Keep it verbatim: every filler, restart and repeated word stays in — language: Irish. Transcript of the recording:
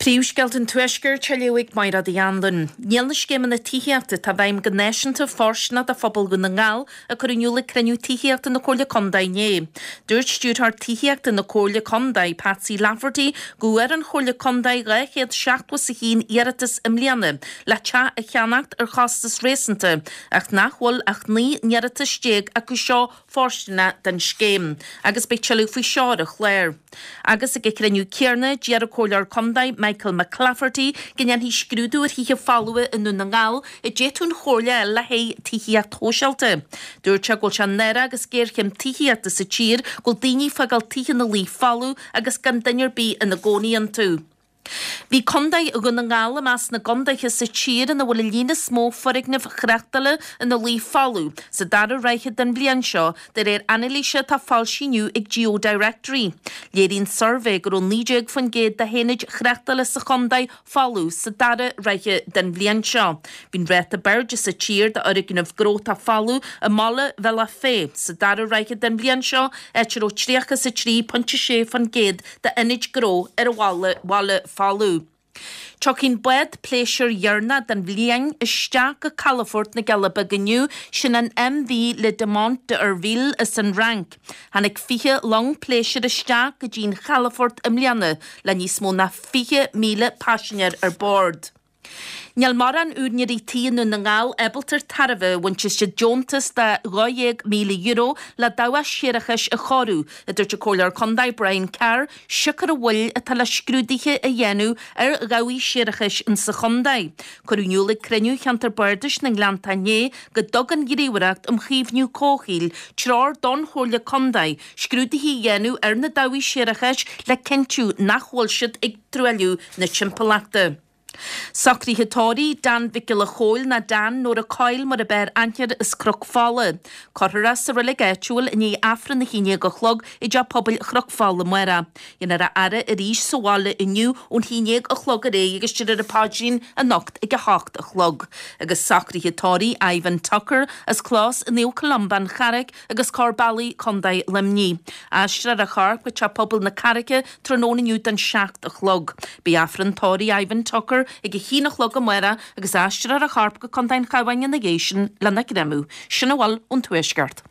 Príomhscéalta an Tuaiscirt á léamh ag Máire Uí Anluain. Níl na scéimeanna tithíochta atá i bhfeidhm go náisiúnta fóirsteanach do phobal Dhún na nGall a cuireadh in iúl ag cruinniú tithíochta na Comhairle Contae inné. Dúirt stiúrthóir tithíochta na Comhairle Contae, Patsy Lafferty, go bhfuair an Chomhairle Contae dhá chéad seachtó is a haon iarratas i mbliana le teach a cheannacht ar chostas réasúnta, ach nach bhfuil ach naoi n-iarratas déag acu seo fóirsteanach don scéim, agus beidh tuilleadh faoi seo ar an chlár. Agus ag an chruinniú céanna, d'iarr an Comhairleoir Contae Michael McClafferty go ndéanfaí scrúdú ar thithe folmha i nDún na nGall a d'fhéadfadh an Chomhairle a fháil le haghaidh tithíocht shóisialta. Dúirt sé go bhfuil sé náireach agus géarchéim tithíochta sa tír go bhfuil daoine ag fágáil tithe ina luí folamh agus gan duine ar bith ina gcónaí iontu. Bhí Contae Dhún na nGall i measc na gcontaetha sa tír ina bhfuil an líon is mó foirgneamh thráchtála ina luí folamh sa dara ráithe den bhliain seo, de réir anailíse atá foilsithe inniu ag GeoDirectory. Léiríonn suirbhé go raibh naoi déag faoin gcéad de haonaid thráchtála sa chontae folamh sa dara ráithe den bhliain seo. Bhí an ráta b'airde sa tír d'fhoirgnimh gnó atá folamh i mbaile Bhealach Féich sa dara ráithe den bhliain seo, áit a raibh tríocha is a trí pointe sé faoin gcéad d'ionaid gnó ar an bhaile bhaile folamh. Tiocfaidh an bád pléisiúir dheireanach den bhliain isteach go calafort na gCealla Beaga inniu, sin an MV Le Diamant d'Urville as an Fhrainc. Tháinig fiche long pléisiúir isteach go dtí an chalafort i mbliana le níos mó ná fiche míle paisinéir ar bord. Níl mórán úinéirí tí i nDún na nGall ábalta tairbhe a bhaint as deontas de dhá dhéag míle euro le dabhach séarachais a chóiriú, a dúirt an Comhairleoir Contae Brian Carr, siocair an mhoill atá le scrúduithe a dhéanamh ar dhabhaigh séarachais insa chontae. Cuireadh in iúl ag cruinniú Cheantar Bardais na nGleannta inné go dtug an Ghníomhaireacht um Chaomhnú Comhshaoil treoir don Chomhairle Contae scrúduithe a dhéanamh ar na dabhaigh séarachais le cinntiú nach bhfuil siad ag truailliú na timpeallachta. Socruithe tórraimh Dan Mhic Giolla Chóill nó Dan Nóra Coyle mar ab fhearr aithne air as Cnoc Fola. Cuirfear é sa reilig áitiúil i ndiaidh Aifreann a haon déag a chlog i dteach pobail Chnoc Fola amárach. Déanfar a fhaire arís sa bhaile inniu ón haon déag a chlog ar aghaidh agus déarfar an paidrín anocht ag a hocht a chlog. Agus socruithe tórraimh Ivan Tucker as Clós Naomh Columba an Charraic agus Corr Bealaigh, Contae Luimnigh. Aistreofar a chorp go Teach Pobail na Carraice tráthnóna inniu don seacht a chlog. Beidh Aifreann tórraimh Ivan Tucker ag a haon a chlog amárach agus aistreofar a chorp go Contae an Chabháin ina dhiaidh sin lena chreamadh. Sin a bhfuil ón Tuaisceart.